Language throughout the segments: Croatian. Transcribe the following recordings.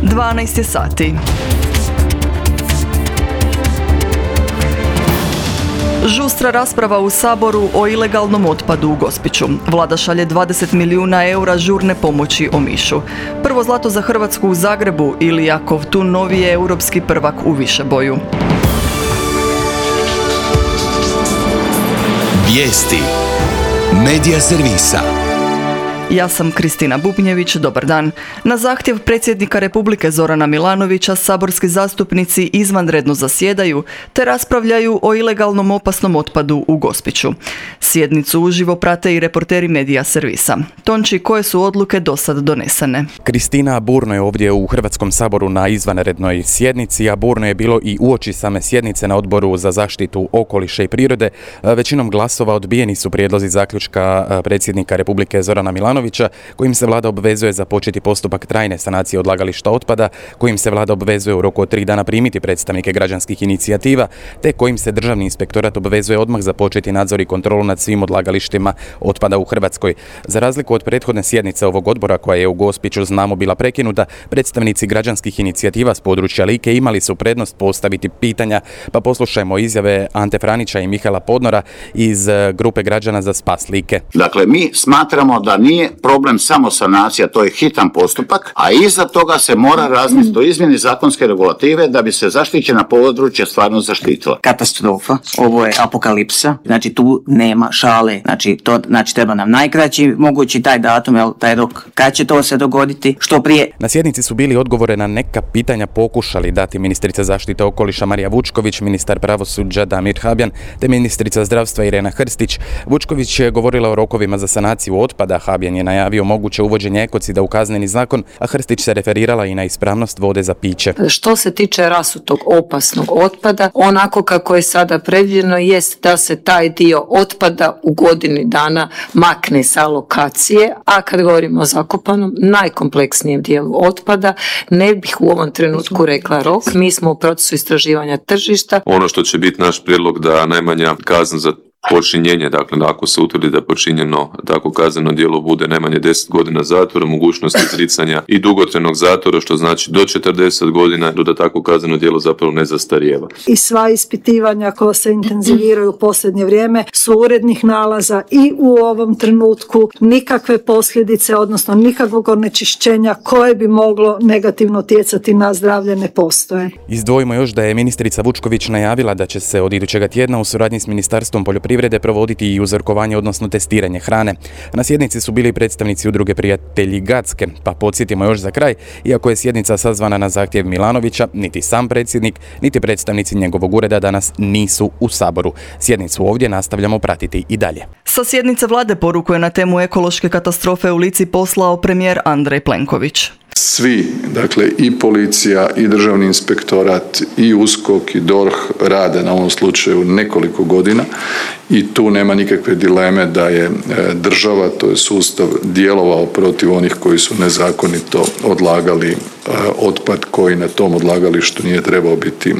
12 je sati. Žustra rasprava u Saboru o ilegalnom otpadu u Gospiću. Vlada šalje 20 milijuna eura žurne pomoći Omišu. Prvo zlato za Hrvatsku u Zagrebu ili Kovtun novi je europski prvak u višeboju. Vijesti Medija servisa. Ja sam Kristina Bubnjević, dobar dan. Na zahtjev predsjednika Republike Zorana Milanovića saborski zastupnici izvanredno zasjedaju te raspravljaju o ilegalnom opasnom otpadu u Gospiću. Sjednicu uživo prate i reporteri Medija servisa. Tonči, koje su odluke do sad donesene? Kristina, burno je ovdje u Hrvatskom saboru na izvanrednoj sjednici, a burno je bilo i uoči same sjednice na Odboru za zaštitu okoliša i prirode. Većinom glasova odbijeni su prijedlozi zaključka predsjednika Republike Zorana Milanovića, kojim se vlada obvezuje započeti postupak trajne sanacije odlagališta otpada, kojim se vlada obvezuje u roku od 3 dana primiti predstavnike građanskih inicijativa, te kojim se Državni inspektorat obvezuje odmah započeti nadzor i kontrolu nad svim odlagalištima otpada u Hrvatskoj. Za razliku od prethodne sjednice ovog odbora, koja je u Gospiću, znamo, bila prekinuta, predstavnici građanskih inicijativa s područja Like imali su prednost postaviti pitanja, pa poslušajmo izjave Ante Franića i Mihaela Podnora iz grupe građana za spas Like. Dakle, mi smatramo da nije problem samo sanacija, to je hitan postupak, a iza toga se mora razmisliti o izmjeni zakonske regulative da bi se zaštićena područja stvarno zaštitila. Katastrofa, ovo je apokalipsa, znači tu nema šale, znači treba nam najkraći mogući taj datum, taj rok, kad će to se dogoditi, što prije. Na sjednici su bili odgovore na neka pitanja pokušali dati ministrica zaštite okoliša Marija Vučković, ministar pravosuđa Damir Habjan, te ministrica zdravstva Irena Hrstić. Vučković je govorila o rokovima za sanaciju otpada, Habjan je najavio moguće uvođenje ekocida u kazneni zakon, a Hrstić se referirala i na ispravnost vode za piće. Što se tiče rasutog opasnog otpada, onako kako je sada predviđeno jest da se taj dio otpada u godini dana makne sa lokacije, a kad govorimo o zakopanom, najkompleksnijem dijelu otpada, ne bih u ovom trenutku rekla rok. Mi smo u procesu istraživanja tržišta. Ono što će biti naš prijedlog da najmanja kazna za počinjenje, dakle ako se utvrdi da je počinjeno tako kazneno djelo bude najmanje 10 godina zatvora, mogućnost izricanja i dugotrajnog zatvora, što znači do 40 godina, da tako kazneno djelo zapravo ne zastarijeva. I sva ispitivanja koja se intenziviraju u posljednje vrijeme su urednih nalaza i u ovom trenutku nikakve posljedice, odnosno nikakvog onečišćenja koje bi moglo negativno utjecati na zdravlje ne postoje. Izdvojimo još da je ministrica Vučković najavila da će se od idućega tjedna u suradnji s Ministarstvom poljoprivrede provoditi i uzorkovanje, odnosno testiranje hrane. Na sjednici su bili predstavnici udruge Prijatelji Gacke, pa podsjetimo još za kraj, iako je sjednica sazvana na zahtjev Milanovića, niti sam predsjednik, niti predstavnici njegovog ureda danas nisu u Saboru. Sjednicu ovdje nastavljamo pratiti i dalje. Sa sjednice vlade poruku je na temu ekološke katastrofe u Lici poslao premijer Andrej Plenković. Svi, dakle i policija i državni inspektorat i USKOK i DORH rade na ovom slučaju nekoliko godina i tu nema nikakve dileme da je država, to je sustav, djelovao protiv onih koji su nezakonito odlagali otpad koji na tom odlagalištu nije trebao biti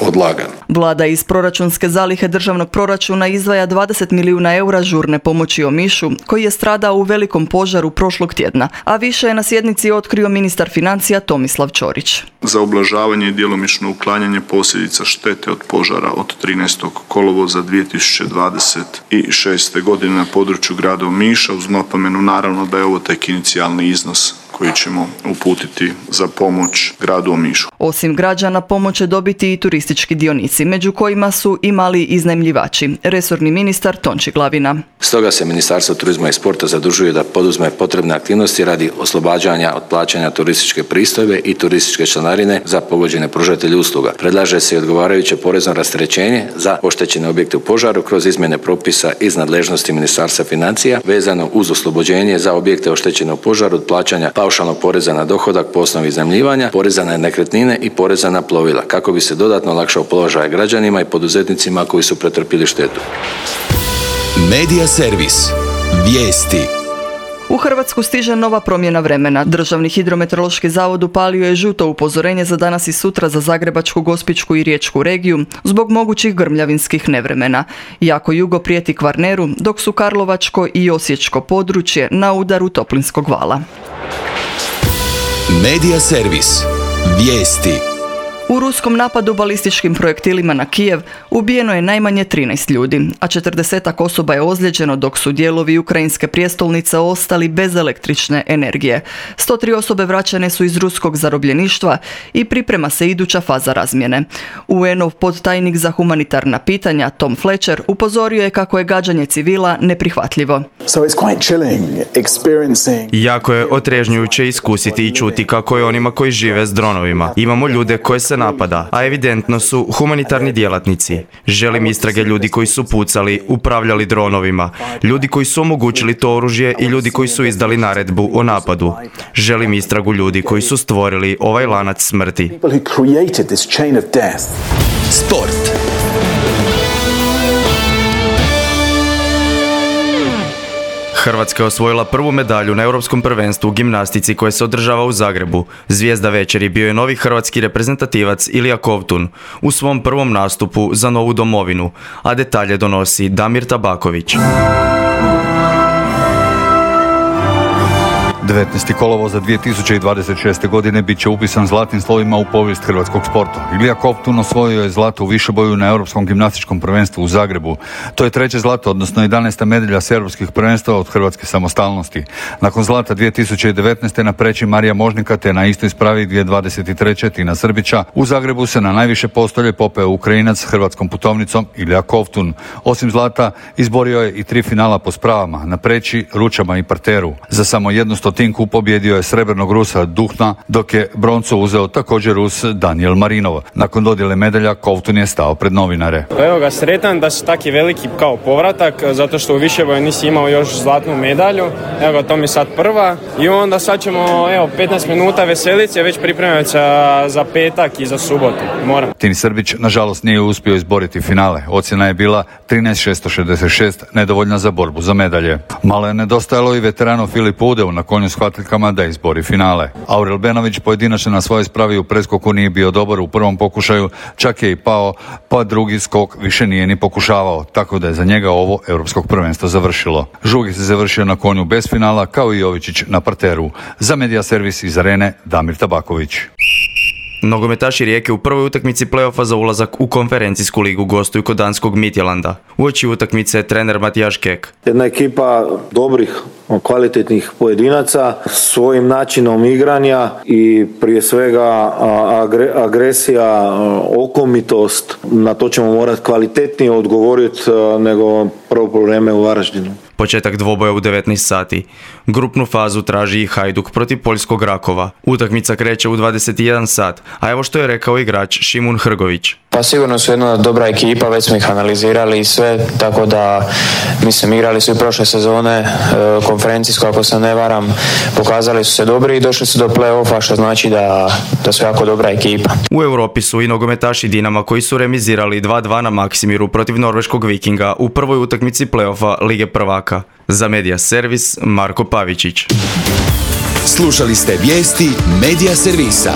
odlagan. Vlada iz proračunske zalihe državnog proračuna izdvaja 20 milijuna eura žurne pomoći Omišu, koji je stradao u velikom požaru prošlog tjedna, a više je na sjednici otkrio ministar financija Tomislav Ćorić. Za ublažavanje i djelomično uklanjanje posljedica štete od požara od 13. kolovoza 2026. godine na području grada Omiša, uz napomenu naravno da je ovo tek inicijalni iznos koji ćemo uputiti za pomoć gradu Omišu. Osim građana, pomoć će dobiti i turistički dionici, među kojima su i mali iznajmljivači. Resorni ministar Tonči Glavina. Stoga se Ministarstvo turizma i sporta zadužuje da poduzme potrebne aktivnosti radi oslobađanja od plaćanja turističke pristojbe i turističke članarine za pogođene pružatelje usluga. Predlaže se i odgovarajuće porezno rasterećenje za oštećene objekte u požaru kroz izmjene propisa iz nadležnosti Ministarstva financija vezano uz oslobođenje za objekte oštećene u požaru od plaćanja paušalnog poreza na dohodak po osnovi iznajmljivanja, poreza na nekretnine i poreza na plovila, kako bi se dodatno olakšao položaj građanima i poduzetnicima koji su pretrpjeli štetu. Medija servis. Vijesti. U Hrvatsku stiže nova promjena vremena. Državni hidrometeorološki zavod upalio je žuto upozorenje za danas i sutra za Zagrebačku, Gospićku i Riječku regiju zbog mogućih grmljavinskih nevremena. Jako jugo prijeti Kvarneru, dok su Karlovačko i Osječko područje na udaru toplinskog vala. Medija servis. Vijesti. U ruskom napadu balističkim projektilima na Kijev ubijeno je najmanje 13 ljudi, a 40 osoba je ozlijeđeno dok su dijelovi ukrajinske prijestolnice ostali bez električne energije. 103 osobe vraćane su iz ruskog zarobljeništva i priprema se iduća faza razmjene. UN-ov podtajnik za humanitarna pitanja Tom Fletcher upozorio je kako je gađanje civila neprihvatljivo. Jako je otrežnjujuće iskusiti i čuti kako je onima koji žive s dronovima. Imamo ljude koje se napada, a evidentno su humanitarni djelatnici. Želim istrage ljudi koji su pucali, upravljali dronovima, ljudi koji su omogućili to oružje i ljudi koji su izdali naredbu o napadu. Želim istragu ljudi koji su stvorili ovaj lanac smrti. Sport. Hrvatska je osvojila prvu medalju na Europskom prvenstvu u gimnastici koje se održava u Zagrebu. Zvijezda večeri bio je novi hrvatski reprezentativac Ilija Kovtun u svom prvom nastupu za novu domovinu, a detalje donosi Damir Tabaković. 19. kolovoza 2026. godine bit će upisan zlatnim slovima u povijest hrvatskog sporta. Ilija Kovtun osvojio je zlato u višeboju na Europskom gimnastičkom prvenstvu u Zagrebu. To je treće zlato, odnosno 11. medalja s europskih prvenstva od hrvatske samostalnosti. Nakon zlata 2019. na preći Marija Možnika te na istoj spravi 2023. Tina Srbića, u Zagrebu se na najviše postolje popeo Ukrajinac s hrvatskom putovnicom Ilija Kovtun. Osim zlata, izborio je i 3 finala po spravama, na preći, ručama i parteru. Za samo jednu stotinku pobjedio je srebrnog Rusa Duhna, dok je broncu uzeo također Rus Daniel Marinov. Nakon dodjele medalja Kovtun je stao pred novinare. Evo ga, sretan da su taki veliki kao povratak, zato što u višeboju nisi imao još zlatnu medalju. Evo ga, to mi sad prva i onda sad ćemo 15 minuta veselice već pripremati za petak i za subotu. Moram. Tini Srbić nažalost nije uspio izboriti finale. Ocjena je bila 13.666, nedovoljna za borbu za medalje. Malo je nedostajalo i veteranu Filipu Udeu na konju s hvatiljkama da izbori finale. Aurel Benović pojedinačno na svojoj spravi u preskoku nije bio dobar u prvom pokušaju, čak je i pao, pa drugi skok više nije ni pokušavao, tako da je za njega ovo europskog prvenstvo završilo. Žugi se završio na konju bez finala, kao i Jovičić na parteru. Za Medija servis iz Arene, Damir Tabaković. Nogometaši Rijeke u prvoj utakmici play-offa za ulazak u konferencijsku ligu gostuju kod danskog Midtjylanda. Uoči utakmice je trener Matijaš Kek. Jedna ekipa dobrih, kvalitetnih pojedinaca, svojim načinom igranja i prije svega agresija, okomitost, na to ćemo morati kvalitetnije odgovoriti nego prvo vrijeme u Varaždinu. Početak dvoboja u 19 sati. Grupnu fazu traži i Hajduk protiv poljskog Rakova. Utakmica kreće u 21 sat, a evo što je rekao igrač Šimun Hrgović. Pa sigurno su jedna dobra ekipa, već smo ih analizirali i sve, tako da mislim igrali su i prošle sezone konferencijsko, ako se ne varam, pokazali su se dobri i došli su do play-offa, što znači da su jako dobra ekipa. U Europi su i nogometaši Dinama koji su remizirali 2-2 na Maksimiru protiv norveškog Vikinga u prvoj utakmici play-offa Lige prvaka. Za Medija servis Marko Pavičić. Slušali ste vijesti Medija servisa.